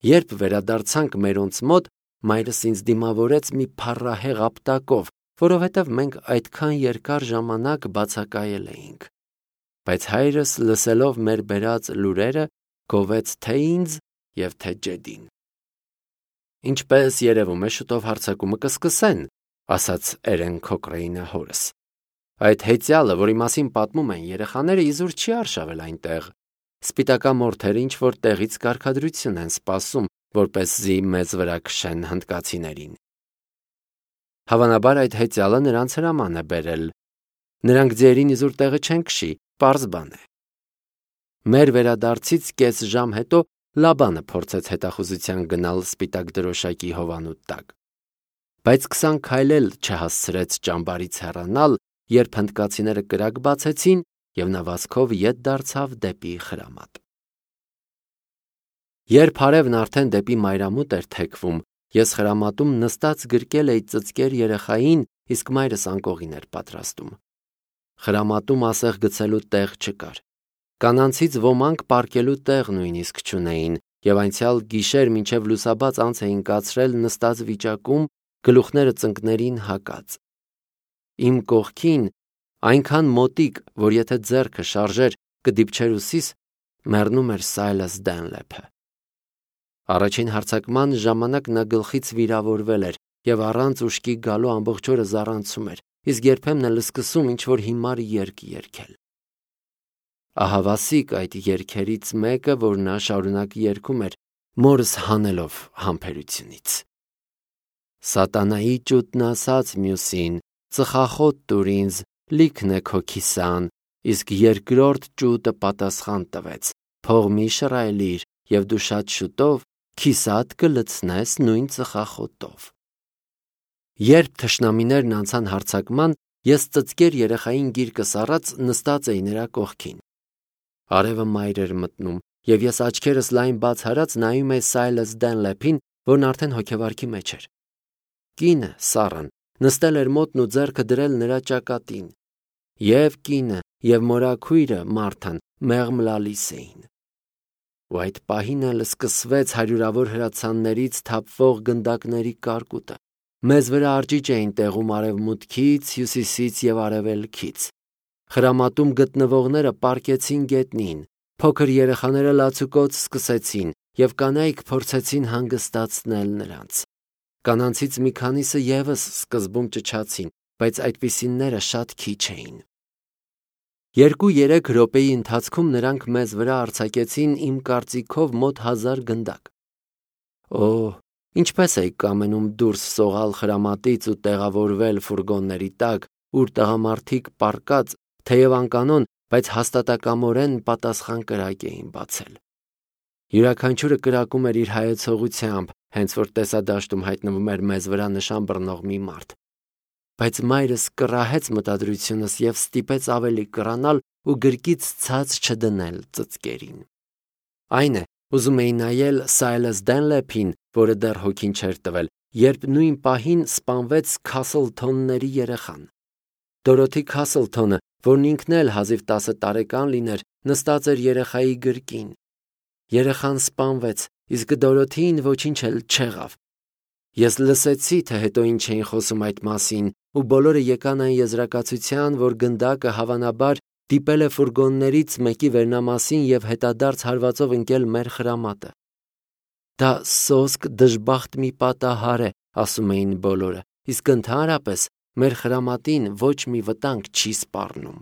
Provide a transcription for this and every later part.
Երբ վերադարձանք մերոնց մոտ, մայրս ինձ դիմավորեց մի փառահեղ ապտակով, որովհետև մենք այդքան երկար ժամանակ բացակայել էինք։ Բայց հայրս, լսելով մեր բերած լուրերը, գովեց թե ինձ և թե ջեդին։ Ինչպես երևում է, շուտով հարձակումը կսկսեն, ասաց Էրեն Քոքրեյնը հորս։ Այդ հեծյալը, որի մասին պատմում են երեխաները, իզուր չի արշավել այնտեղ։ Սպիտակամորթերը ինչ-որ տեղից կարգադրություն են սպասում, որպեսզի մեզ վրա քշեն հնդկացիներին։ Հավանաբար այդ հեծյալը նրանց հրաման է բերել։ Նրանք ձիերին իզուր տեղը չեն քշի, պարզ բան է։ Մեր վերադարձից կես ժամ հետո Լաբանը փորձեց հետախուզության գնալ սպիտակ դրոշակի հովանու տակ։ Բայց 20 քայլ էլ չհասցրեց ճամբարից հեռանալ, երբ հնդկացիները կրակ բացեցին և նա վազքով ետ դարձավ դեպի Խրամատ։ Երբ հարևն արդեն դեպի մայրամուտ էր թեքվում, ես Խրամատում նստած գրկել էի ծծկեր երեխային, իսկ մայրս անկողին էր պատրաստում։ Խրամատում ասեղ գցելու տեղ չկար։ Կանանցից ոմանք պառկելու տեղ նույնիսկ չունեին, և անցյալ գիշեր մինչև լուսաբաց անց էին կացրել նստած վիճակում, գլուխները ծնկներին հակած։ Իմ կողքին, այնքան մոտիկ, որ եթե ձեռքը շարժեր կդիպչեր ուսիս, մեռնում էր Սայլաս Դենլեփը։ Առաջին հարձակման ժամանակ նա գլխից վիրավորվել էր և առանց ուշքի գալու ամբողջ օրը զառանցում էր, իսկ երբեմն էլ սկսում ինչ-որ հիմար երգ երգել։ Ահավասիկ այդ երգերից մեկը, որ նա շարունակ երգում էր, մորս հանելով համբերությունից։ Սատանայի ճուտն ասաց մյուսին. «Ծխախոտ տուր ինձ, լիքն է քո քիսան», իսկ երկրորդ ճուտը պատասխան տվեց. «Փող մի շռայլիր, և դու շատ շուտով քիսատ կլցնես նույն ծխախոտով»։ Երբ թշնամիներն անցան հարձակման, ես ծծկեր երեխային գիրկս առած նստած էի նրա կողքին։ Արևը մայր էր մտնում, և ես աչքերս լայն բաց արած նայում էի Սայլաս Դենլեփին, որն արդեն հոգեվարքի մեջ էր։ Կինը, Սառան, նստել էր մոտն ու ձեռքը դրել նրա ճակատին։ Եվ կինը, և մորաքույրը Մարթան մեղմ լալիս էին։ Ու այդ պահին էլ սկսվեց հարյուրավոր հրացաններից թափվող գնդակների կարկուտը։ Մեզ վրա արջիջ էին տեղում արևմուտքից, հյուսիսից և արևելքից։ Խրամատում գտնվողները պառկեցին գետնին, փոքր երեխաները լացուկոծ սկսեցին, և կանայք փորձեցին հանգստացնել նրանց։ Կանանցից մի քանիսը ևս սկզբում ճչացին, բայց այդպիսիները շատ քիչ էին։ 2-3 րոպեի ընթացքում նրանք մեզ վրա արձակեցին իմ կարծիքով մոտ 1000 գնդակ։ Օհ, ինչպես էի կամենում դուրս սողալ Խրամատից ու տեղավորվել ֆուրգոնների տակ, ուր տղամարդիկ պառկած, թեև անկանոն, բայց հաստատակամորեն պատասխան կրակ էին բացել։ Յուրաքանչյուրը կրակում էր իր հայեցողությամբ, հենց որ տեսադաշտում հայտնվում էր մեզ վրա նշան բռնող մի մարդ։ Բայց մայրս կռահեց մտադրությունս և ստիպեց ավելի կռանալ ու գրկից ցած չդնել ծծկերին։ Այն է, ուզում էի նայել Սայլաս Դենլեփին, որը դեռ հոգին չէր տվել, երբ նույն պահին սպանվեց Քասլթոնների երեխան։ Դորոթի Քասլթոնը, որն ինքն էլ հազիվ 10 տարեկան լիներ, նստած էր երեխայի գրկին։ Երեխան սպանվեց, իսկ Դորոթին ոչինչ էլ չեղավ։ Ես լսեցի, թե հետո ինչ էին խոսում այդ մասին, ու բոլորը եկան այն եզրակացության, որ գնդակը հավանաբար դիպել է ֆուրգոններից մեկի վերնամասին և հետադարձ հարվածով ընկել մեր Խրամատը։ Դա սոսկ դժբախտ մի պատահար է, ասում էին բոլորը, իսկ ընդհանրապես մեր Խրամատին ոչ մի վտանգ չի սպառնում։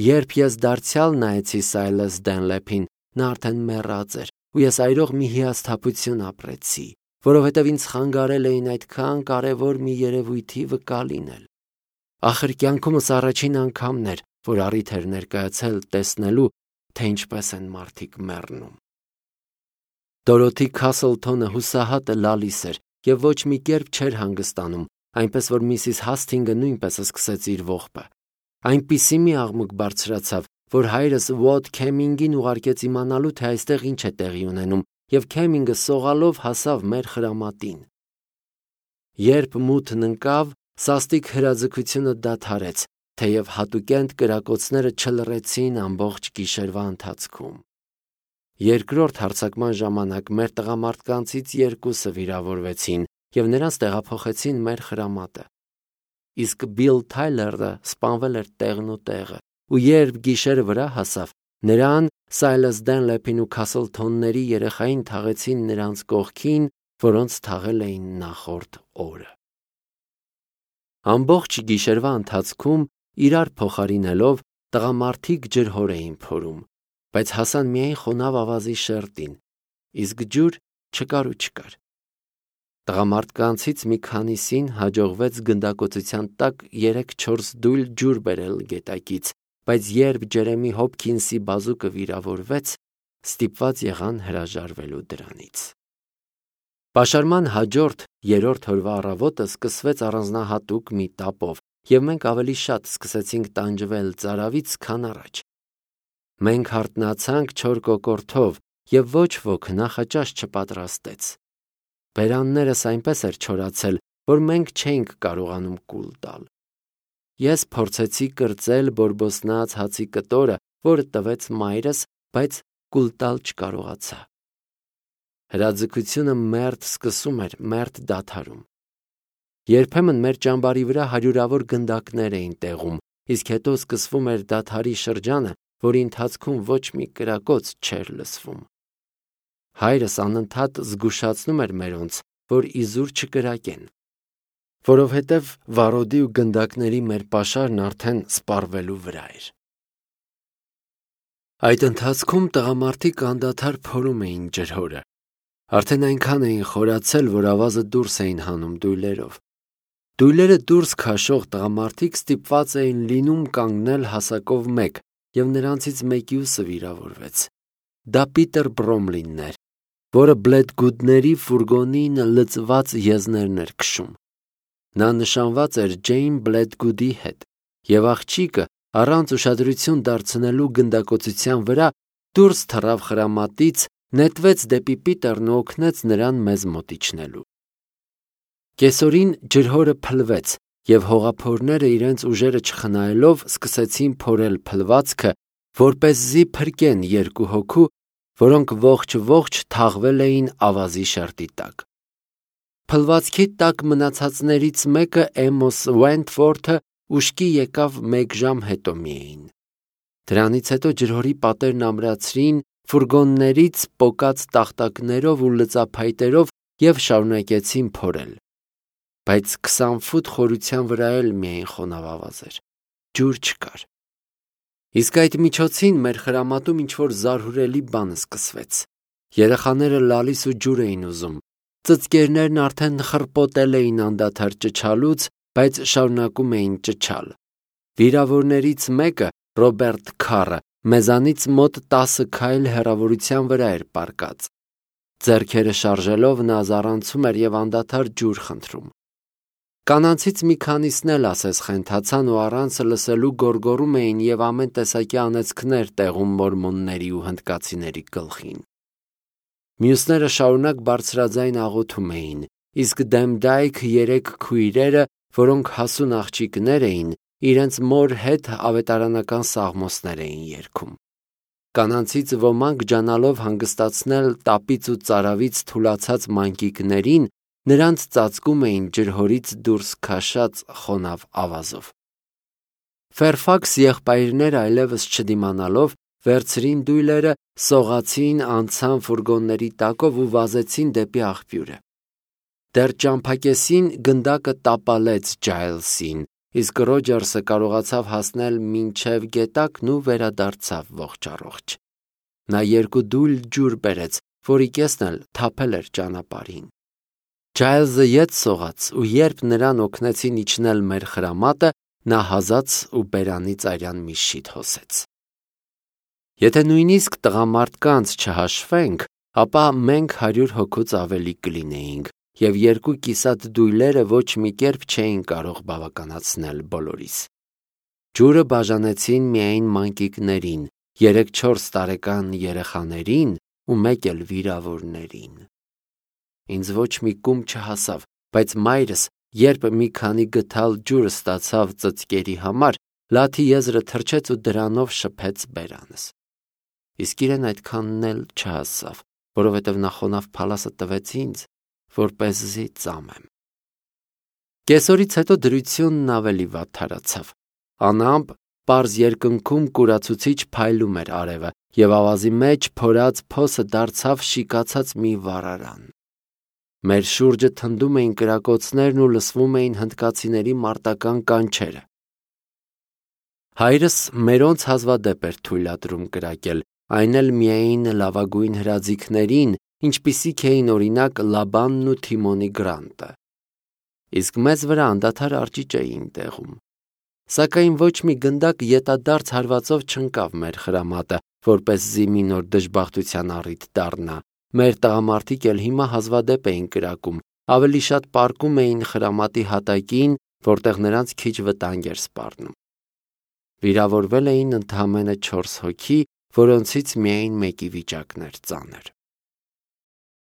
Երբ ես դարձյալ նայեցի Սայլաս Դենլեփին, նա արդեն մեռած էր, ու ես այրող մի հիասթափություն ապրեցի, որովհետև ինձ խանգարել էին այդքան կարևոր մի երևույթի վկա լինել։ Ախր կյանքումս առաջին անգամն էր, որ առիթ էր ներկայացել տեսնելու, թե ինչպես են մարդիկ մեռնում։ Դորոթի Քասլթոնը հուսահատը լալիս էր և ոչ մի կերպ չէր հանգստանում, այնպես որ Միսիս Հասթինգը նույնպես սկսեց իր ողբը։ Այնպիսի մի աղմուկ բարձրացավ, որ հայրս Ուոտ Քեմինգին ուղարկեց իմանալու, թե այստեղ ինչ է տեղի ունենում, և Քեմինգը սողալով հասավ մեր Խրամատին։ Երբ մութն ընկավ, սաստիկ հրաձգությունը դադարեց, թեև հատուկենտ կրակոցները չլռեցին ամբողջ գիշերվա ընթացքում։ Երկրորդ հարձակման ժամանակ մեր տղամարդկանցից 2-ը վիրավորվեցին և նրանց տեղափոխեցին մեր խրամատը։ Իսկ Բիլ Թայլերը սպանվել էր տեղն ու տեղը, ու երբ գիշերը վրա հասավ, նրան, Սայլաս Դենլեփին ու Քասլթոնների երեխային թաղեցին նրանց կողքին, որոնց թաղել էին նախորդ օրը։ Ամբողջ գիշերվա ընթացքում իրար փոխարինելով տղամարդիկ ջրհոր էին փորում, բայց հասան միայն խոնավ ավազի շերտին, իսկ ջուր չկար ու չկար։ Տղամարդկանցից մի քանիսին հաջողվեց գնդակոծության տակ 3-4 դույլ ջուր բերել գետակից, բայց երբ Ջերեմի Հոփքինսի բազուկը վիրավորվեց, ստիպված եղան հրաժարվելու դրանից։ Պաշարման հաջորդ 3-րդ օրվա առավոտը սկսվեց առանձնահատուկ մի տապով, և մենք ավելի շատ սկսեցինք տանջվել ծարավից, քան առաջ։ Մենք հարթնացանք չոր կոկորդով, և ոչ ոք նախաճաշ չպատրաստեց։ Բերաններս այնպես էր չորացել, որ մենք չէինք կարողանում կուլ տալ։ Ես փորձեցի կրծել բորբոսնած հացի կտորը, որը տվեց մայրս, բայց կուլ տալ չկարողացա։ Հրաձգությունը մերթ սկսում էր, մերթ դադարում։ Երբեմն մեր ճամբարի վրա հարյուրավոր գնդակներ էին տեղում, իսկ հետո սկսվում էր դադարի շրջանը, որի ընթացքում ոչ մի կրակոց չէր լսվում։ Հայրս անընդհատ զգուշացնում էր մերոնց, որ իզուր չկրակեն, որովհետև վարոդի ու գնդակների մեր պաշարն արդեն սպառվելու վրա էր։ Այդ ընթացքում տղամարդիկ անդադար փորում էին ջրհորը։ Արդեն այնքան էին խորացել, որ ավազը դուրս էին հանում դույլերով։ Դույլերը դուրս քաշող տղամարդիկ ստիպված էին լինում կանգնել հասակով մեկ, և նրանցից մեկիուսը վիրավորվեց։ Դա Պիտեր Բրոմլինն էր, որը Բլեդգուդների ֆուրգոնին լծված եզներն էր քշում։ Նա նշանված էր Ջեյն Բլեդգուդի հետ, և աղջիկը, առանց ուշադրություն դարձնելու գնդակոծության վրա, դուրս թռավ խրամատից, նետվեց դեպի Պիտերն ու օգնեց նրան մեզ մոտ իջնելու։ Կեսօրին ջրհորը փլվեց, և հողափորները իրենց ուժերը չխնայելով սկսեցին փորել փլվածքը, որպեսզի փրկեն 2 հոգու, որոնք ողջ թաղվել էին ավազի շերտի տակ։ Փլվածքի տակ մնացածներից մեկը, Էմոս Ուենթվորթը, ուշքի եկավ 1 ժամ հետո միայն։ Դրանից հետո ջրհորի պատերն ամրացրին ֆուրգոններից պոկած տախտակներով ու լծափայտերով և շարունակեցին փորել։ Բայց 20 ֆուտ խորության վրա էլ միայն խոնավ ավազ էր, ջուր չկար։ Իսկ այդ միջոցին մեր խրամատում ինչ-որ զարհուրելի բան սկսվեց։ Երեխաները լալիս ու ջուր էին ուզում, ծծկերներն արդեն խռպոտել էին անդադար ճչալուց, բայց շարունակում էին ճչալ։ Վիրավորներից մեկը, Ռոբերտ Քարը, մեզանից մոտ 10 քայլ հեռավորության վրա էր պառկած։ Ձեռքերը շարժելով նա զառանցում էր և անդադար ջուր խնդրում։ Կանանցից մի քանիսն էլ ասես խենթացան ու առանցը լսելու գոռգոռում էին և ամեն տեսակի անեծքներ տեղում մորմոնների ու հնդկացիների գլխին։ Մյուսները շարունակ բարձրաձայն աղոթում էին, իսկ Դեմդայք 3 քույրերը, որոնք հասուն աղջիկներ էին, իրենց մոր հետ ավետարանական սաղմոսներ էին երգում։ Կանանցից ոմանք ջանալով հանգստացնել տապից ու ծարավից թուլացած մանկիկներին, նրանց ծածկում էին ջրհորից դուրս քաշած խոնավ ավազով։ Ֆերֆաքս եղբայրները այլևս չդիմանալով վերցրին դույլերը, սողացին, անցան ֆուրգոնների տակով ու վազեցին դեպի աղբյուրը։ Դեռ ճամփակեսին գնդակը տապալեց Ջայլսին, իսկ Ռոջերսը կարողացավ հասնել մինչև գետակն ու վերադարձավ ողջ։ Նա 2 դույլ ջուր բերեց, որի կեսն էլ թափել էր ճանապարհին։ Ջայլզը ետ սողաց, ու երբ նրան օգնեցին իջնել մեր խրամատը, նա հազաց ու բերանից արյան մի շիթ հոսեց։ Եթե նույնիսկ տղամարդկանց չհաշվենք, ապա մենք 100 հոգուց ավելի կլինեինք, և 2 կիսատ դույլերը ոչ մի կերպ չէին կարող բավականացնել բոլորիս։ Ջուրը բաժանեցին միայն մանկիկներին, 3-4 տարեկան երեխաներին ու 1 էլ վիրավորներին։ Ինձ ոչ մի կում չհասավ, բայց մայրս, երբ մի քանի գդալ ջուր ստացավ ծծկերի համար, լաթի եզրը թրջեց ու դրանով շփեց բերանս։ իսկ իրեն այդքանն էլ չհասավ, որովհետև նա խոնավ փալասը տվեց ինձ, որպեսզի ծամեմ։ Կեսօրից հետո դրությունն ավելի վատթարացավ։ Անամպ պարզ երկնքում կուրացուցիչ փայլում էր արևը, և ավազի մեջ փորած փոսը դարձավ շիկացած մի վառարան։ Մեր շուրջը թնդում էին կրակոցներն ու լսվում էին հնդկացիների մարտական կանչերը։ Հայրս մերոնց հազվադեպ էր թույլատրում կրակել, այն էլ միայն լավագույն հրաձիգներին, ինչպիսիք էին օրինակ Լաբանն ու Թիմոնի Գրանտը։ Իսկ մեզ վրա անդադար արջիճ էին տեղում։ Սակայն ոչ մի գնդակ ետադարձ հարվածով չընկավ մեր խրամատը, որպեսզի մի նոր դժբախտության առիթ դառնա։ Մեր տղամարդիկ էլ հիմա հազվադեպ էին կրակում, ավելի շատ պառկում էին խրամատի հատակին, որտեղ նրանց քիչ վտանգ էր սպառնում։ Վիրավորվել էին ընդամենը 4 հոգի, որոնցից միայն մեկի վիճակն էր ծանր։